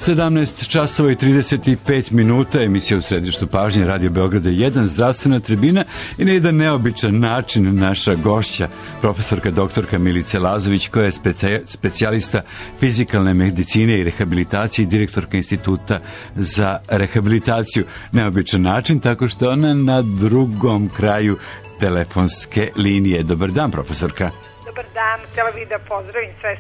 17 časova i 35 minuta, emisija u središtu pažnje Radio Beograda 1, zdravstvena tribina, i na jedan neobičan način naša gošća, profesorka doktorka Milica Lazović, koja je specijalista fizikalne medicine i rehabilitacije i direktorka Instituta za rehabilitaciju. Neobičan način, tako što ona na drugom kraju telefonske linije. Dobar dan, profesorka. Dobar dan, htjela bih da pozdravim sve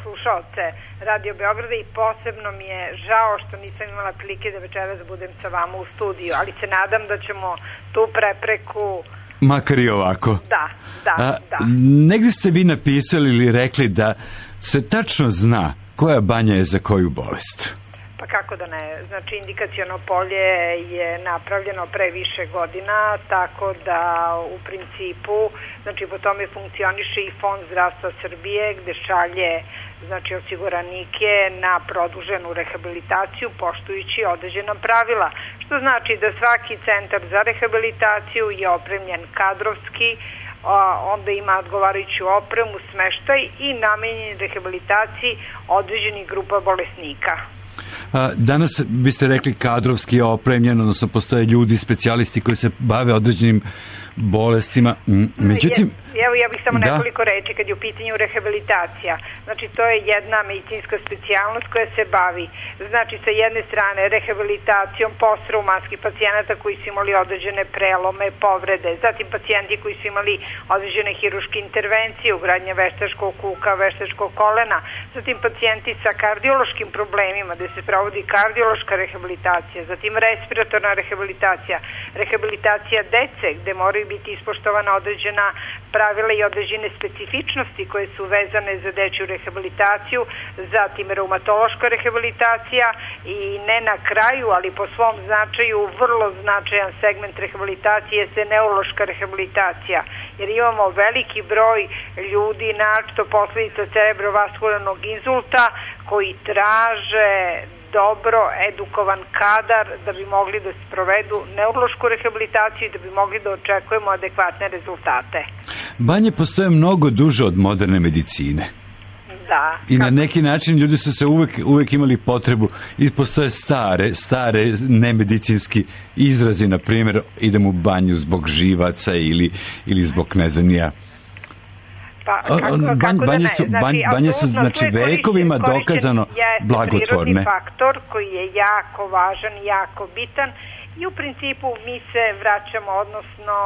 slušaoce Radio Beograda i posebno mi je žao što nisam imala prilike da večeras budem sa vama u studiju, ali se nadam da ćemo tu prepreku... Makar i ovako. Da. Negdje ste vi napisali ili rekli da se tačno zna koja banja je za koju bolest. Pa kako da ne, znači indikaciono polje je napravljeno pre više godina, tako da u principu, znači po tome funkcioniše i Fond zdravstva Srbije, gde šalje znači osiguranike na produženu rehabilitaciju poštujući određena pravila, što znači da svaki centar za rehabilitaciju je opremljen kadrovski, onda ima odgovarajuću opremu, smeštaj i namenjen rehabilitaciji određenih grupa bolesnika. Danas vi ste rekli kadrovski je opremljen, odnosno postoje ljudi, specijalisti koji se bave određenim bolestima. Međutim, evo ja bih samo nekoliko reči kad je u pitanju rehabilitacija. Znači to je jedna medicinska specijalnost koja se bavi, znači sa jedne strane rehabilitacijom postraumatskih pacijenata koji su imali određene prelome, povrede, zatim pacijenti koji su imali određene hiruške intervencije, ugradnje veštačkog kuka, veštačkog kolena, zatim pacijenti sa kardiološkim problemima gde se provodi kardiološka rehabilitacija, zatim respiratorna rehabilitacija, rehabilitacija dece gde moraju biti ispoštovana određena pravila i određene specifičnosti koje su vezane za dečju rehabilitaciju, zatim reumatološka rehabilitacija i ne na kraju, ali po svom značaju vrlo značajan segment rehabilitacije je neurološka rehabilitacija, jer imamo veliki broj ljudi, naročito posledica cerebrovaskularnog insulta, koji traže dobro edukovan kadar da bi mogli da sprovedu neurološku rehabilitaciju i da bi mogli da očekujemo adekvatne rezultate. Banje postoje mnogo duže od moderne medicine. Da. I na neki način ljudi su se uvek imali potrebu, i postoje stare nemedicinski izrazi, na primjer idem u banju zbog živaca ili zbog ne znam ja. Banje su znači vekovima dokazano blagotvorne. Prirodni faktor koji je jako važan, jako bitan, i u principu mi se vraćamo, odnosno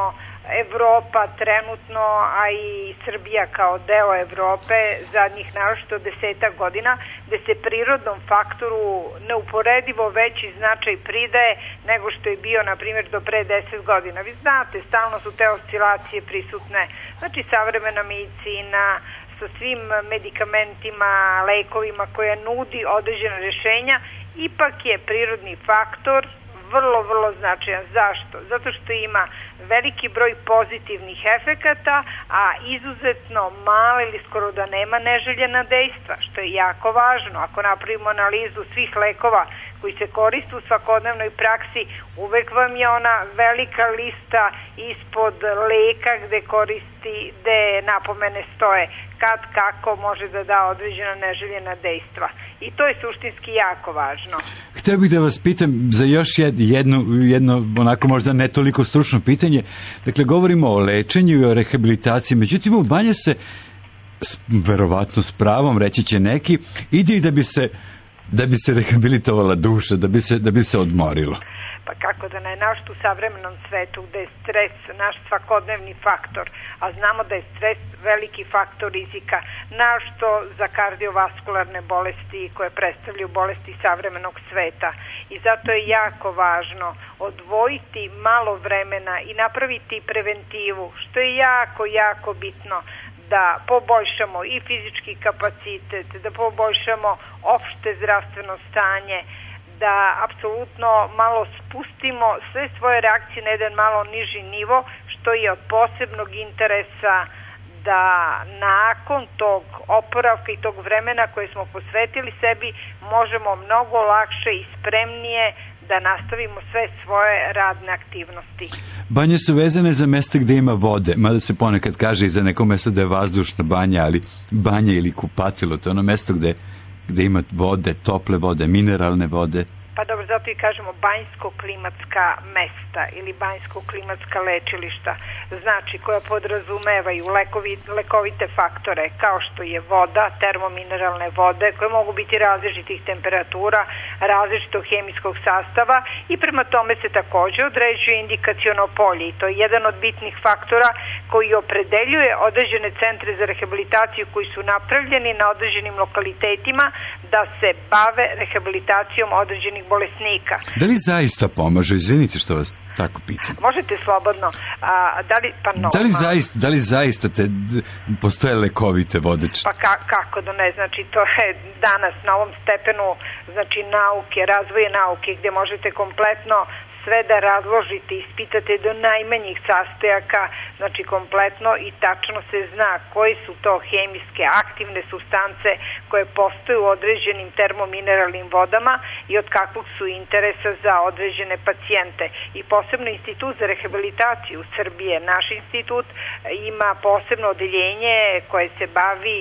Evropa trenutno, a i Srbija kao deo Evrope zadnjih naročito 10 godina, gde se prirodnom faktoru neuporedivo veći značaj pridaje nego što je bio, na primjer, do pre 10 godina. Vi znate, stalno su te oscilacije prisutne, znači savremena medicina sa svim medikamentima, lekovima koja nudi određena rješenja, ipak je prirodni faktor vrlo značajan. Zašto? Zato što ima veliki broj pozitivnih efekata, a izuzetno male ili skoro da nema neželjena dejstva, što je jako važno. Ako napravimo analizu svih lekova koji se koriste u svakodnevnoj praksi, uvek vam je ona velika lista ispod leka gde napomene stoje kad, kako može da da određena neželjena dejstva. I to je suštinski jako važno. Htio bih da vas pitam za još jedno onako možda ne toliko stručno pitanje. Dakle, govorimo o lečenju i o rehabilitaciji, međutim u banje se, verovatno s pravom, reći će neki, ide i da bi se rehabilitovala duša, da bi se odmorilo. Pa kako da ne, naš u savremenom svetu gde je stres naš svakodnevni faktor, a znamo da je stres veliki faktor rizika, našto za kardiovaskularne bolesti koje predstavljaju bolesti savremenog sveta. I zato je jako važno odvojiti malo vremena i napraviti preventivu, što je jako bitno, da poboljšamo i fizički kapacitet, da poboljšamo opšte zdravstveno stanje, da apsolutno malo spustimo sve svoje reakcije na jedan malo niži nivo, što je od posebnog interesa da nakon tog oporavka i tog vremena koje smo posvetili sebi možemo mnogo lakše i spremnije da nastavimo sve svoje radne aktivnosti. Banje su vezane za mesta gde ima vode, mada se ponekad kaže i za neko mesto da je vazdušna banja, ali banja ili kupatilo, to je ono mesto gde gde ima vode, tople vode, mineralne vode? Pa dobro, zato i kažemo banjsko-klimatska mesta ili banjsko-klimatska lečilišta, znači koja podrazumevaju lekovite faktore kao što je voda, termomineralne vode koje mogu biti različitih temperatura, različitog hemijskog sastava i prema tome se takođe određuje indikaciono polje i to je jedan od bitnih faktora koji opredeljuje određene centre za rehabilitaciju koji su napravljeni na određenim lokalitetima da se bave rehabilitacijom određenih bolesnika. Da li zaista pomažu? Izvinite što vas tako pitam. Možete slobodno. Da li zaista postoje lekovite vode? Pa kako da ne, znači to je danas na ovom stepenu znači nauke, razvoje nauke gde možete kompletno sve da razložite, ispitate do najmanjih sastojaka, znači kompletno i tačno se zna koje su to hemijske aktivne supstance koje postoje u određenim termomineralnim vodama i od kakvog su interesa za određene pacijente. I posebno Institut za rehabilitaciju Srbije, naš institut, ima posebno odeljenje koje se bavi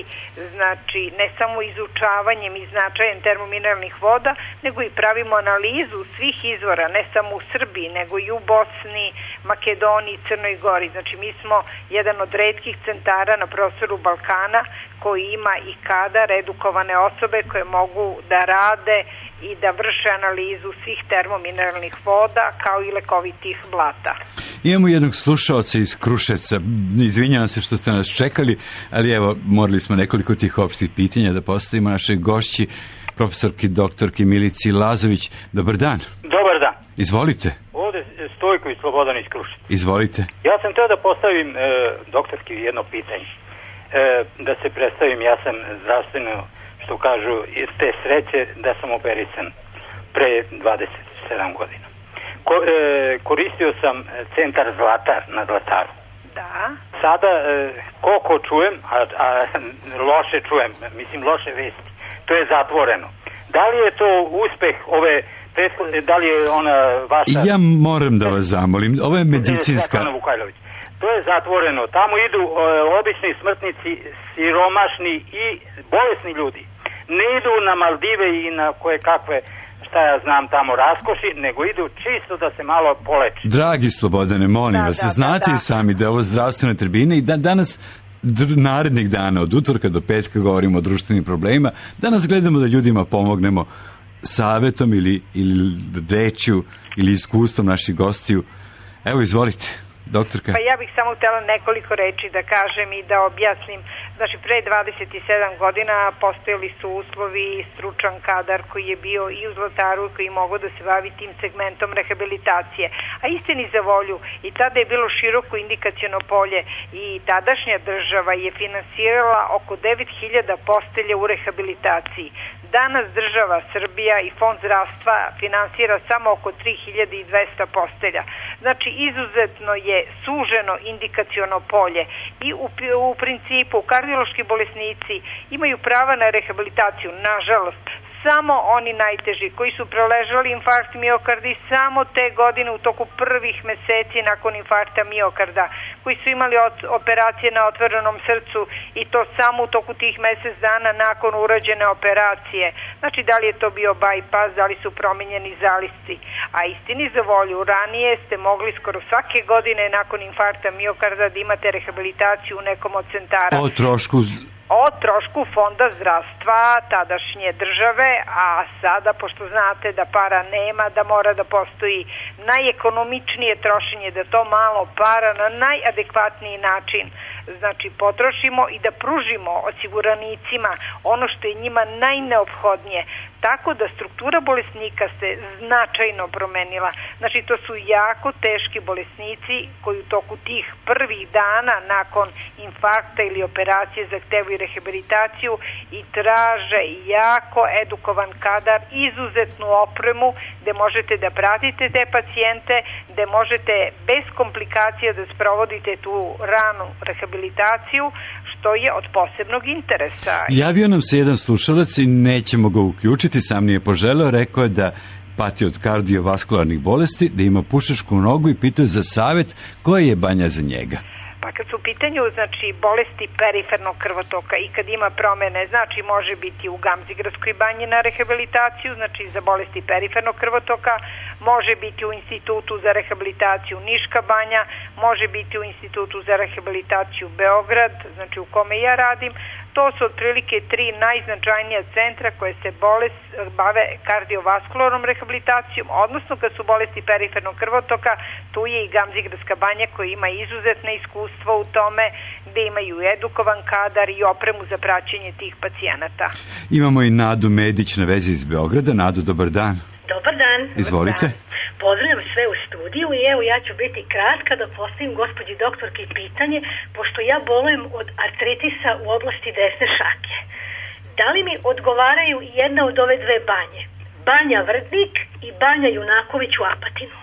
znači ne samo izučavanjem i značajem termomineralnih voda, nego i pravimo analizu svih izvora, ne samo u Srbiji, nego i u Bosni, Makedoniji, Crnoj Gori. Znači mi smo jedan od retkih centara na prostoru Balkana koji ima i kadar edukovane osobe koje mogu da rade i da vrše analizu svih termomineralnih voda kao i lekovitih blata. Imamo jednog slušaoca iz Kruševca. Izvinjavam se što ste nas čekali, ali evo, morali smo nekoliko tih opštih pitanja da postavimo našoj gošći, profesorki doktorki Milici Lazović. Dobar dan. Dobar dan. Izvolite. Ovde Stojko i Slobodan iz Kruševca. Izvolite. Ja sam teo da postavim doktorki jedno pitanje. Da se predstavim, ja sam zdravstveno, što kažu, te sreće da sam operisan pre 27 godina. Koristio sam centar Zlatar na Zlataru. Da. Sada, koliko čujem, a loše čujem, mislim loše vesti, to je zatvoreno. Da li je to uspeh ove prethodne, da li je ona vaša... Ja moram da vas zamolim, ovo je medicinska... To je zatvoreno. Tamo idu obični smrtnici, siromašni i bolesni ljudi. Ne idu na Maldive i na koje kakve, šta ja znam, tamo raskoši, nego idu čisto da se malo poleči. Dragi Slobodane, molim vas, znate i sami da je ovo zdravstvena tribina i da danas narednih dana, od utorka do petka govorimo o društvenim problemima, danas gledamo da ljudima pomognemo savetom ili rečju ili iskustvom naših gostiju. Evo, izvolite, doktorka. Pa ja bih samo htjela nekoliko reči da kažem i da objasnim. Znači, pre 27 godina postojali su uslovi i stručan kadar koji je bio i u Zlataru koji je mogao da se bavi tim segmentom rehabilitacije. A istini za volju, i tada je bilo široko indikaciono polje i tadašnja država je finansirala oko 9000 postelja u rehabilitaciji. Danas država Srbija i Fond zdravstva finansira samo oko 3200 postelja. Znači, izuzetno je suženo indikaciono polje i u principu kardiološki bolesnici imaju prava na rehabilitaciju, nažalost, samo oni najteži koji su preležali infarkt miokarda i samo te godine u toku prvih meseci nakon infarkta miokarda, koji su imali operacije na otvorenom srcu i to samo u toku tih mesec dana nakon urađene operacije. Znači, da li je to bio bypass, da li su promenjeni zalisci. A istini za volju, ranije ste mogli skoro svake godine nakon infarkta miokarda da imate rehabilitaciju u nekom od centara. O trošku Fonda zdravstva tadašnje države, a sada, pošto znate da para nema, da mora da postoji najekonomičnije trošenje, da to malo para na najadekvatniji način, znači potrošimo i da pružimo osiguranicima ono što je njima najneophodnije. Tako da struktura bolesnika se značajno promenila. Znači, to su jako teški bolesnici koji u toku tih prvih dana nakon infarkta ili operacije zahtevaju rehabilitaciju i traže jako edukovan kadar, izuzetnu opremu gde možete da pratite te pacijente, gde možete bez komplikacija da sprovodite tu ranu rehabilitaciju, što je od posebnog interesa. Javio nam se jedan slušalac i nećemo ga uključiti, sam nije poželeo, rekao je da pati od kardiovaskularnih bolesti, da ima pušačku nogu i pitao za savet koja je banja za njega. Pa Pa kad su u pitanju, znači, bolesti perifernog krvotoka i kad ima promene, znači može biti u Gamzigradskoj banji na rehabilitaciju, znači za bolesti perifernog krvotoka, može biti u Institutu za rehabilitaciju Niška banja, može biti u Institutu za rehabilitaciju Beograd, znači u kome ja radim. To su otprilike 3 najznačajnija centra koje se bave kardiovaskularnom rehabilitacijom, odnosno kad su bolesti perifernog krvotoka, tu je i Gamzigradska banja koja ima izuzetne iskustva u tome, gde imaju edukovan kadar i opremu za praćenje tih pacijenata. Imamo i Nadu Medić na vezi iz Beograda. Nadu, dobar dan. Dobar dan. Izvolite. Dobar dan. Pozdravljam sve u studiju i evo ja ću biti kratka da postavim gospođi doktorki pitanje, pošto ja bolujem od artritisa u oblasti desne šake. Da li mi odgovaraju jedna od ove dve banje? Banja Vrdnik i Banja Junaković u Apatinu.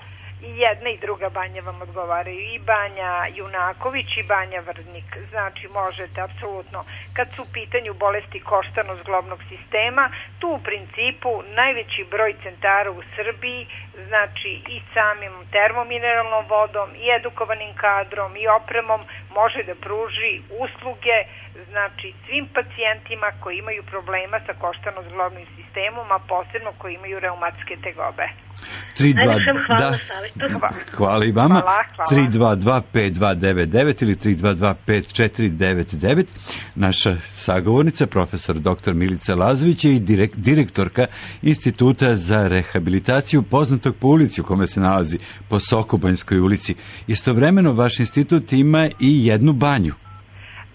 I jedna i druga banja vam odgovaraju, i Banja Junaković i Banja Vrdnik. Znači možete apsolutno, kad su u pitanju bolesti koštano-zglobnog sistema, tu u principu najveći broj centara u Srbiji, znači i samim termomineralnom vodom i edukovanim kadrom i opremom može da pruži usluge, znači svim pacijentima koji imaju problema sa koštano-zglobnim sistemom, a posebno koji imaju reumatske tegobe. Hvala i vama. 322-5299 ili 322-5499. Naša sagovornica, profesor dr. Milica Lazović, je i direktorka Instituta za rehabilitaciju, poznatog po ulici u kome se nalazi, po Sokobanjskoj ulici. Istovremeno, vaš institut ima i jednu banju.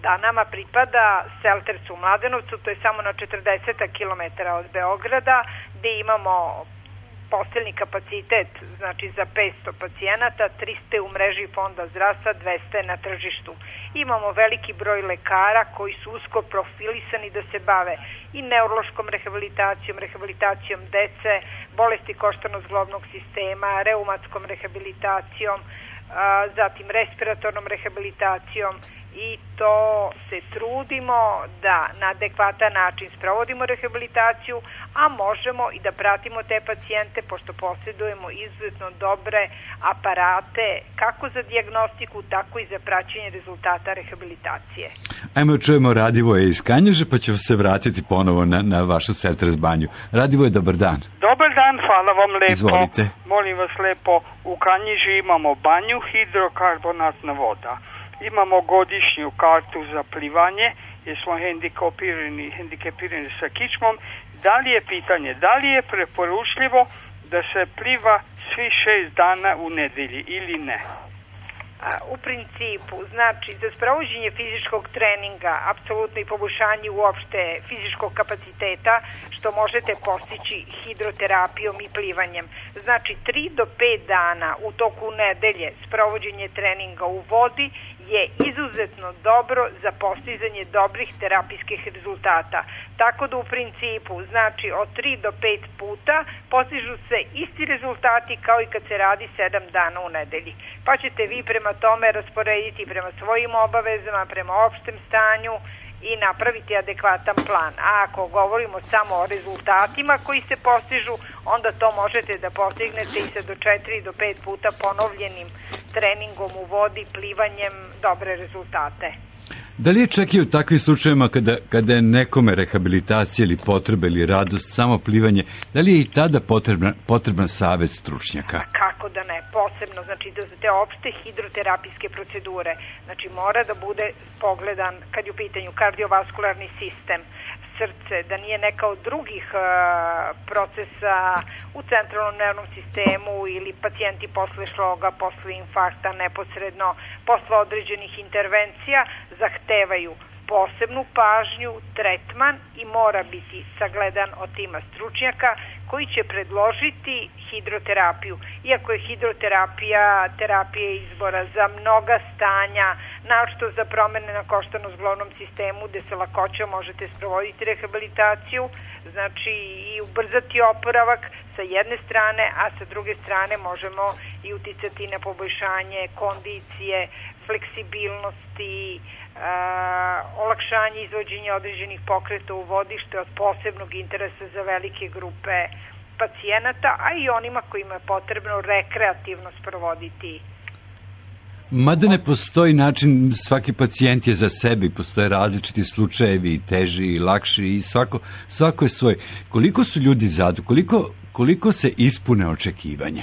Da, nama pripada Seltercu u Mladenovcu, to je samo na 40 km od Beograda, gde imamo posteljni kapacitet, znači za 500 pacijenata, 300 u mreži Fonda zdravstva, 200 na tržištu. Imamo veliki broj lekara koji su usko profilisani da se bave i neurološkom rehabilitacijom, rehabilitacijom dece, bolesti koštano-zglobnog sistema, reumatskom rehabilitacijom, zatim respiratornom rehabilitacijom, i to se trudimo da na adekvatan način sprovodimo rehabilitaciju, a možemo i da pratimo te pacijente pošto posjedujemo izuzetno dobre aparate kako za dijagnostiku, tako i za praćenje rezultata rehabilitacije. Ajmo čujemo Radivoje iz Kanjiže, pa ćemo se vratiti ponovo na vašu Selters banju. Radivoje, dobar dan. Dobar dan, hvala vam lepo. Izvolite. Molim vas lepo, u Kanjiži imamo banju, hidrokarbonatna voda. Imamo godišnju kartu za plivanje, jer smo hendikepirani sa kičmom. Da li je pitanje, da li je preporučljivo da se pliva svi 6 dana u nedelji ili ne? U principu, znači, za sprovođenje fizičkog treninga, apsolutno i poboljšanje uopšte fizičkog kapaciteta, što možete postići hidroterapijom i plivanjem. Znači, 3 do 5 dana u toku nedelje sprovođenje treninga u vodi je izuzetno dobro za postizanje dobrih terapijskih rezultata. Tako da u principu, znači, od 3 do 5 puta postižu se isti rezultati kao i kad se radi 7 dana u nedelji. Pa ćete vi prema tome rasporediti prema svojim obavezama, prema opštem stanju i napraviti adekvatan plan. A ako govorimo samo o rezultatima koji se postižu, onda to možete da postignete i sa do 4 do 5 puta ponovljenim treningom u vodi, plivanjem, dobre rezultate. Da li je čak i u takvim slučajevima kada je nekome rehabilitacija ili potreba ili radost, samo plivanje, da li je i tada potreban savjet stručnjaka? Kako da ne, posebno, znači za te opšte hidroterapijske procedure, znači mora da bude pogledan kad je u pitanju kardiovaskularni sistem, srce, da nije neka od drugih procesa u centralnom nervnom sistemu ili pacijenti posle šloga, posle infarkta, neposredno, posle određenih intervencija zahtevaju posebnu pažnju, tretman i mora biti sagledan od tima stručnjaka koji će predložiti hidroterapiju. Iako je hidroterapija terapija izbora za mnoga stanja, naročito za promene na koštano-zglobnom sistemu gde se lakoćom možete sprovoditi rehabilitaciju, znači i ubrzati oporavak sa jedne strane, a sa druge strane možemo i uticati na poboljšanje kondicije, fleksibilnosti, olakšanje izvođenja određenih pokreta u vodi, što je od posebnog interesa za velike grupe pacijenata, a i onima kojima je potrebno rekreativno sprovoditi Mada ne postoji način, svaki pacijent je za sebe, postoje različiti slučajevi, teži i lakši i svako je svoj. Koliko su ljudi zadovoljni, koliko se ispune očekivanja?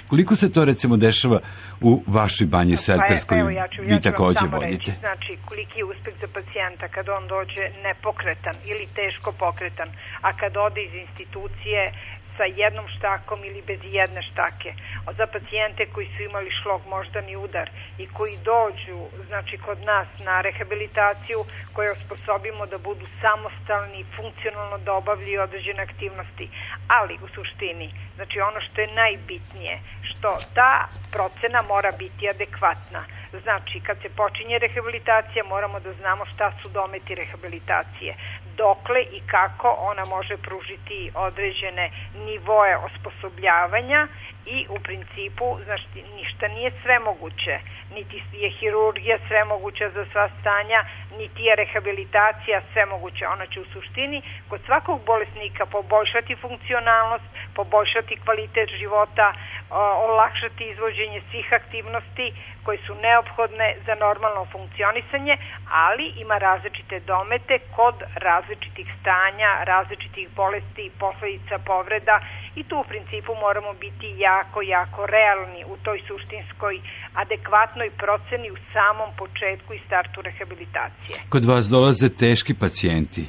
Koliko se to recimo dešava u vašoj banji Selterskoj, vi takođe vodite? Znači, koliki je uspeh za pacijenta kad on dođe nepokretan ili teško pokretan, a kad ode iz institucije sa jednom štakom ili bez jedne štake. Za pacijente koji su imali šlog moždani udar i koji dođu, znači kod nas na rehabilitaciju, koje osposobimo da budu samostalni, funkcionalno da obavljaju određene aktivnosti. Ali u suštini, znači ono što je najbitnije, što ta procena mora biti adekvatna. Znači, kad se počinje rehabilitacija, moramo da znamo šta su dometi rehabilitacije, dokle i kako ona može pružiti određene nivoe osposobljavanja i u principu, znači, ništa nije svemoguće, niti je hirurgija svemoguća za sva stanja, niti je rehabilitacija svemoguća. Ona će u suštini kod svakog bolesnika poboljšati funkcionalnost, poboljšati kvalitet života, olakšati izvođenje svih aktivnosti koje su neophodne za normalno funkcionisanje, ali ima različite domete kod različitih stanja, različitih bolesti, posledica povreda i tu u principu moramo biti jako realni u toj suštinskoj adekvatnoj proceni u samom početku i startu rehabilitacije. Kod vas dolaze teški pacijenti?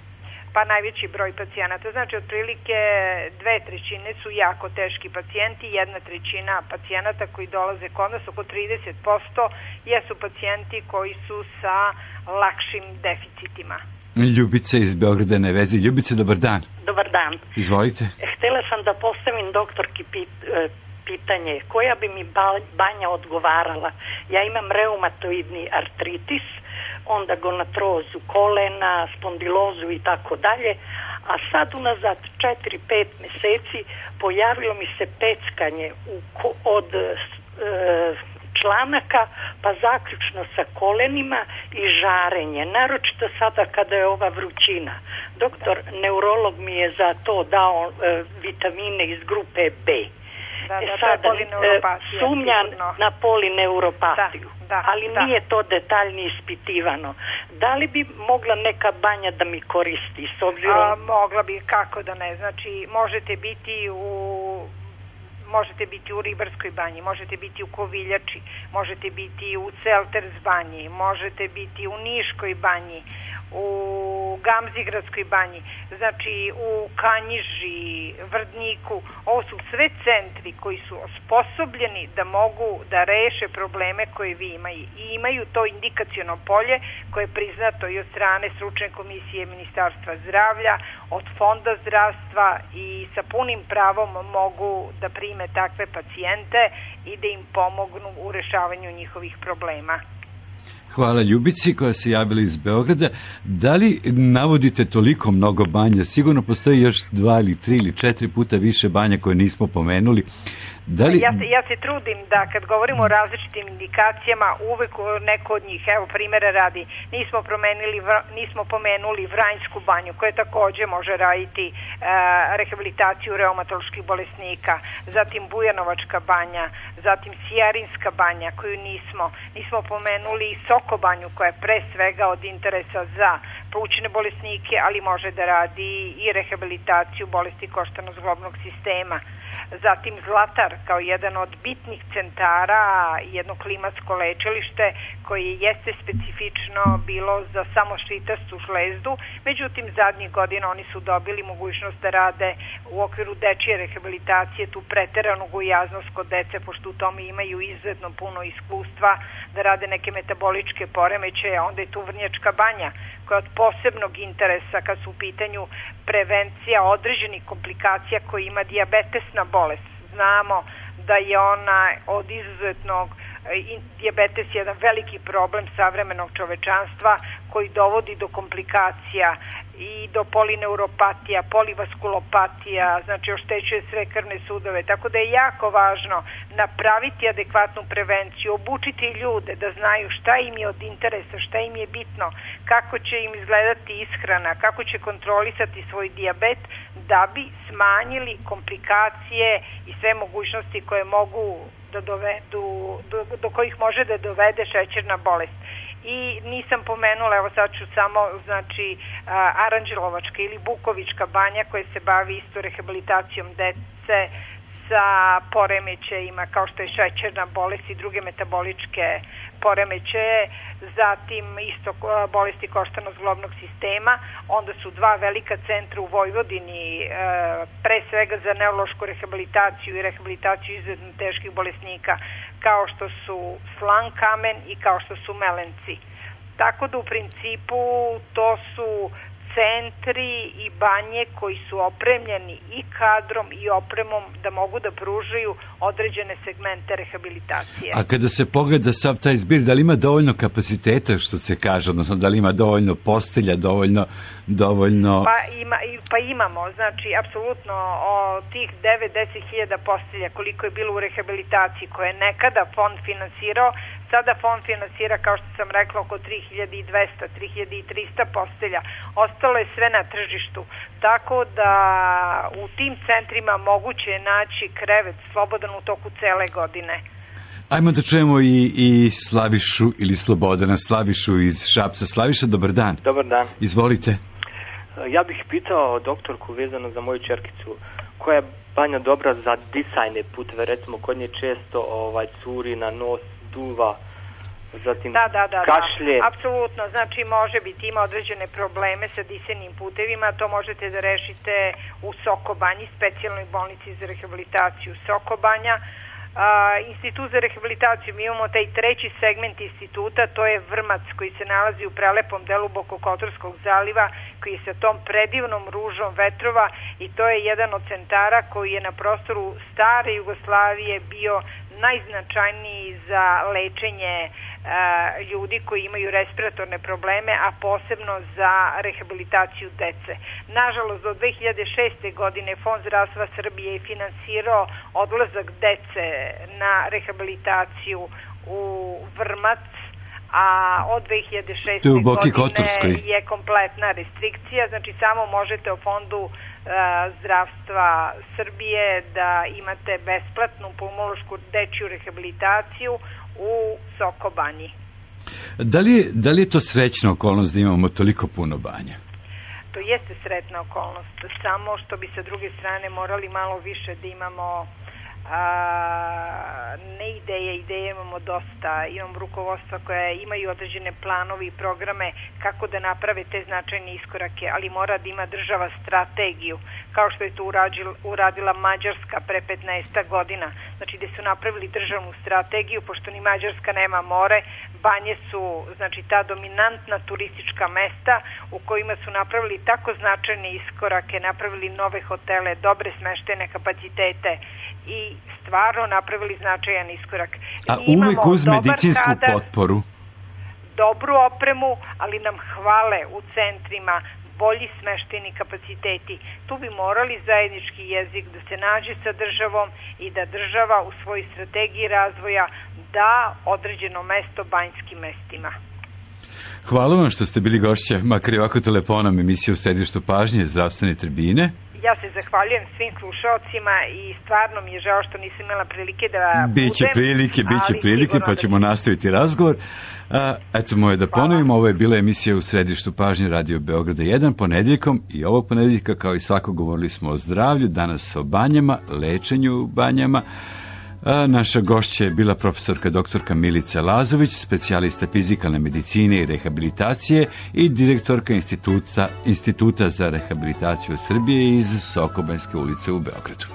Pa najveći broj pacijenata, znači otprilike 2/3 su jako teški pacijenti, 1/3 pacijenata koji dolaze kod nas, oko 30% jesu pacijenti koji su sa lakšim deficitima. Ljubica iz Beograda na vezi. Ljubice, dobar dan. Dobar dan. Izvolite. Htela sam da postavim doktorki pitanje, koja bi mi banja odgovarala. Ja imam reumatoidni artritis, onda gonatrozu kolena, spondilozu i tako dalje, a sad unazad 4-5 meseci pojavilo mi se peckanje od članaka pa zaključno sa kolenima i žarenje, naročito sada kada je ova vrućina. Doktor neurolog mi je za to dao vitamine iz grupe B. Sada sumnjam na polineuropatiju, ali nije to detaljni ispitivano. Da li bi mogla neka banja da mi koristi s obzirom? Mogla bi, kako da ne, znači možete biti u Ribarskoj banji, možete biti u Koviljači, možete biti u Selters banji, možete biti u Niškoj banji, u Gamzigradskoj banji, znači u Kanjiži, Vrdniku. Ovo su sve centri koji su osposobljeni da mogu da reše probleme koje vi imaju. I imaju to indikaciono polje koje je priznato i od strane stručne komisije Ministarstva zdravlja, od Fonda zdravstva i sa punim pravom mogu da prime takve pacijente i da im pomognu u rešavanju njihovih problema. Hvala Ljubici koja se javila iz Beograda. Da li navodite toliko mnogo banja? Sigurno postoji još 2 ili 3 ili 4 puta više banja koje nismo pomenuli. Ja se trudim da kad govorimo o različitim indikacijama, uvek neko od njih, evo primjera radi, nismo pomenuli Vranjsku banju koja takođe može raditi rehabilitaciju reumatoloških bolesnika, zatim Bujanovačka banja, zatim Sijarinska banja koju nismo pomenuli Soko banju koja je pre svega od interesa za plućne bolesnike, ali može da radi i rehabilitaciju bolesti koštano-zglobnog sistema. Zatim Zlatar kao jedan od bitnih centara, jedno klimatsko lečilište koje jeste specifično bilo za samo šitastu žlezdu, međutim zadnjih godina oni su dobili mogućnost da rade u okviru dečije rehabilitacije tu preteranu gojaznost kod dece, pošto u tome imaju izuzetno puno iskustva, da rade neke metaboličke poremećaje. Onda je tu Vrnjačka banja koja je od posebnog interesa kad su u pitanju prevencija određenih komplikacija koje ima dijabetesna bolest. Znamo da je ona od izuzetnog, dijabetes je jedan veliki problem savremenog čovečanstva koji dovodi do komplikacija i do polineuropatija, polivaskulopatija, znači oštećuje sve krvne sudove, tako da je jako važno napraviti adekvatnu prevenciju, obučiti ljude da znaju šta im je od interesa, šta im je bitno, kako će im izgledati ishrana, kako će kontrolisati svoj dijabet da bi smanjili komplikacije i sve mogućnosti koje mogu da dovedu, do kojih može da dovede šećerna bolest. I nisam pomenula, evo sad ću samo, znači Aranđelovačka ili Bukovička banja koja se bavi isto rehabilitacijom dece sa poremećajima kao što je šećerna bolest i druge metaboličke poremećaje, zatim isto bolesti koštano-zglobnog sistema. Onda su dva velika centra u Vojvodini, pre svega za neurološku rehabilitaciju i rehabilitaciju izuzetno teških bolesnika, kao što su Slankamen i kao što su Melenci. Tako da u principu to su centri i banje koji su opremljeni i kadrom i opremom da mogu da pružaju određene segmente rehabilitacije. A kada se pogleda sav taj zbir, da li ima dovoljno kapaciteta, što se kaže, odnosno da li ima dovoljno postelja, dovoljno... Pa imamo, znači apsolutno od tih 9-10 hiljada postelja koliko je bilo u rehabilitaciji koje je nekada fond finansirao, sada fond finansira, kao što sam rekla, oko 3200, 3300 postelja. Ostalo je sve na tržištu. Tako da u tim centrima moguće je naći krevet slobodan u toku cele godine. Ajmo da čujemo i Slavišu ili Slobodana. Slavišu iz Šapca. Slaviša, dobar dan. Dobar dan. Izvolite. Ja bih pitao doktorku vezano za moju čerkicu, koja je banja dobra za disajne puteve, recimo kod nje često curi na nos, duva, zatim kašlje. Apsolutno, znači može biti, ima određene probleme sa disajnim putevima, to možete da rešite u Sokobanji, specijalnoj bolnici za rehabilitaciju Sokobanja. Institut za rehabilitaciju, mi imamo taj treći segment instituta, to je Vrmac koji se nalazi u prelepom delu Bokokotorskog zaliva, koji je sa tom predivnom ružom vetrova i to je jedan od centara koji je na prostoru stare Jugoslavije bio najznačajniji za lečenje ljudi koji imaju respiratorne probleme, a posebno za rehabilitaciju dece. Nažalost, do 2006. godine Fond zdravstva Srbije je finansirao odlazak dece na rehabilitaciju u Vrmac, a od 2006. godine je kompletna restrikcija, znači samo možete u Fondu zdravstva Srbije da imate besplatnu pulmološku dečju rehabilitaciju u Sokobanji. Da li je to srećna okolnost da imamo toliko puno banja? To jeste sretna okolnost, samo što bi sa druge strane morali malo više da imamo ne ideje imamo dosta, imam rukovodstva koja imaju određene planove i programe kako da naprave te značajne iskorake, ali mora da ima država strategiju, kao što je to uradila Mađarska pre 15 godina, znači gde su napravili državnu strategiju, pošto ni Mađarska nema more, banje su znači ta dominantna turistička mesta u kojima su napravili tako značajne iskorake, napravili nove hotele, dobre smeštene kapacitete i stvarno napravili značajan iskorak. A uvek uz medicinsku potporu? Dobru opremu, ali nam hvale u centrima bolji smešteni kapaciteti. Tu bi morali zajednički jezik da se nađe sa državom i da država u svojoj strategiji razvoja da određeno mesto banjskim mestima. Hvala vam što ste bili gošća, makar i ovako telefonom, emisije u središtu pažnje zdravstvene tribine. Ja se zahvaljujem svim slušalcima i stvarno mi je žao što nisam imala prilike da Biće prilike, pa ćemo nastaviti razgovor. Eto moje da ponovimo, ovo je bila emisija u središtu pažnje Radio Beograda 1 ponedjeljkom i ovog ponedjeljka kao i svako govorili smo o zdravlju, danas o banjama, lečenju u banjama. Naša gošća je bila profesorka doktorka Milica Lazović, specijalista fizikalne medicine i rehabilitacije i direktorka Instituta za rehabilitaciju Srbije iz Sokobanjske ulice u Beogradu.